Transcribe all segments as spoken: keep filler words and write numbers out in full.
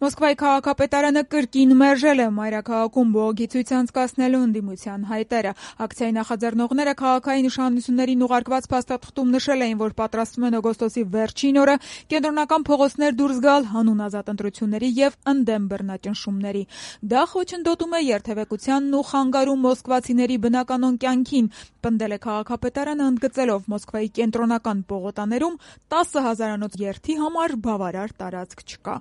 Մոսկվայի քաղաքապետարանը կրկին մերժել է մայրաքաղաքում բողոքի ցույց անցկացնելու ընդդիմության հայտերը։ Ակցիայի նախաձեռնողները քաղաքային իշխանություններին ուղարկված փաստաթղթում նշել էին, որ պատրաստվում են օգոստոսի վերջին օրը կենտրոնական փողոցներ դուրս գալ հանուն ազատ ընտրությունների եւ ընդդեմ բռնաճնշումների։ Դա խոչընդոտում է երթևեկությանն ու խանգարում մոսկվացիների բնականոն կյանքին, պնդել է քաղաքապետարանը, ընդգծելով Մոսկվայի կենտրոնական պողոտաներում տասը հազարանոց երթի համար բավարար տարածք չկա։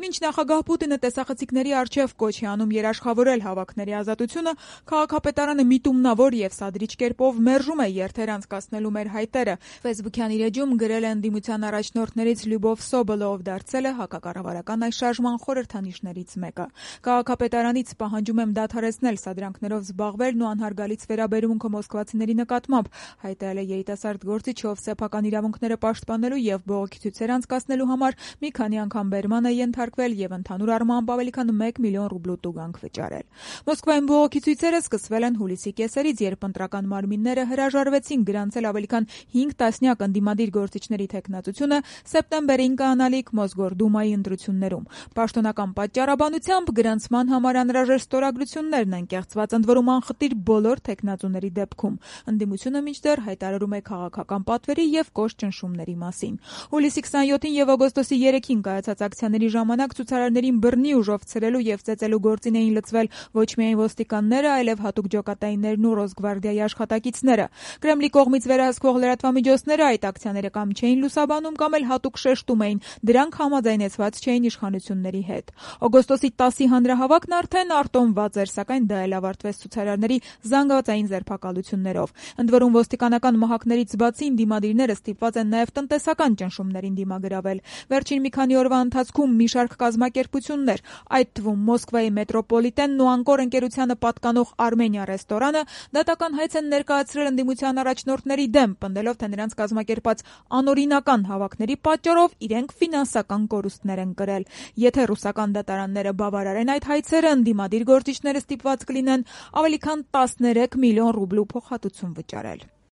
Մինչ նախագահ Պուտինը տեսախցիկների առջև կոչ է անում երաշխավորել հավաքների ազատությունը, քաղաքապետարանը միտումնավոր եւ սադրիչ կերպով մերժում է երթեր անցկացնելու մեր հայտերը։ Facebook-յան իր էջում գրել է ընդդիմության առաջնորդներից Լյուբով Սոբոլը, ով դարձել է հակակառավարական այս շարժման խորհրդանիշներից մեկը։ Քաղաքապետարանից պահանջում եմ դադարեցնել սադրանքներով զբաղվելն ու անհարգալից վերաբերմունքը մոսկվացիների նկատմամբ, հայտարարել է երիտասարդ գործիչը, ով սեփական իրավունքները պաշտպանելու եւ բողոքի ցույցեր անցկացնելու համար մի քանի անգամ բերման է ենթարկվել եւ ընդհանուր առմամբ ավելի քան մեկ միլիոն ռուբլու տուգանք վճարել։ Մոսկվայում բողոքի ցույցերը սկսվել են հուլիսի կեսերից, երբ ընտրական մարմինները հրաժարվեցին գրանցել ավելի քան հինգ տասնյակ ընդդիմադիր գործիչների թեկնածությունը սեպտեմբերին կանալիք Մոսգորդումայի ընտրություններում։ Պաշտոնական պատճառաբանությամբ գրանցման համար անհրաժեշտ ստորագրություններն են կեղծված ընդ որում անխտիր բոլոր թեկնածուների դեպքում։ Ընդդիմությունը մինչդեռ հայտարարում է քաղաքական պատվերի եւ կոշտ ճնշումների մասին։ Հուլիսի քսաներկուին եւ օգոստոսի երեքին կայացած ակցիաների ժամանակ ցուցարարներին բռնի ուժով ցրելու եւ ծեծելու գործին էին լծվել ոչ միայն ոստիկանները, այլև հատուկ ջոկատայիններն ու Ռոսգվարդիայի աշխատակիցները։ Կրեմլի կողմից վերահսկվող լրատվամիջոցները այդ ակցիաները կամ չէին լուսաբանում, կամ էլ հատուկ շեշտում էին, դրանք համաձայնեցված չէին իշխանությունների հետ։ Օգոստոսի տասի հանրահավաքն արդեն արտոնված էր, սակայն դա էլ ավարտվեց ցուցարարների զանգվածային ձերբակալություններով։ Ընդ որում ոստիկանական մահակներից բացի ընդդիմադիրները ստիպված են նաեւ տնտեսական ճնշումներին դիմագրավել։ Վերջին մի քանի օրվա ընթացքում մի շարք կազմակերպություններ, այդ թվում Մոսկվայի մետրոպոլիտենն ու Անկոր ընկերությանը պատկանող Արմենիա ռեստորանը, դատական հայց են ներկայացրել ընդդիմության առաջնորդների դեմ, պնդելով, թե նրանց կազմակերպած անօրինական հավաքների պատճառով իրենք ֆինանսական կորուստներ են կրել։ Եթե ռուսական դատարանները բավարարեն այդ հայցերը, ընդդիմադիր գործիչները ստիպված կլինեն ավելի քան տասներեք միլիոն ռուբլու փոխհատուցում վճարել։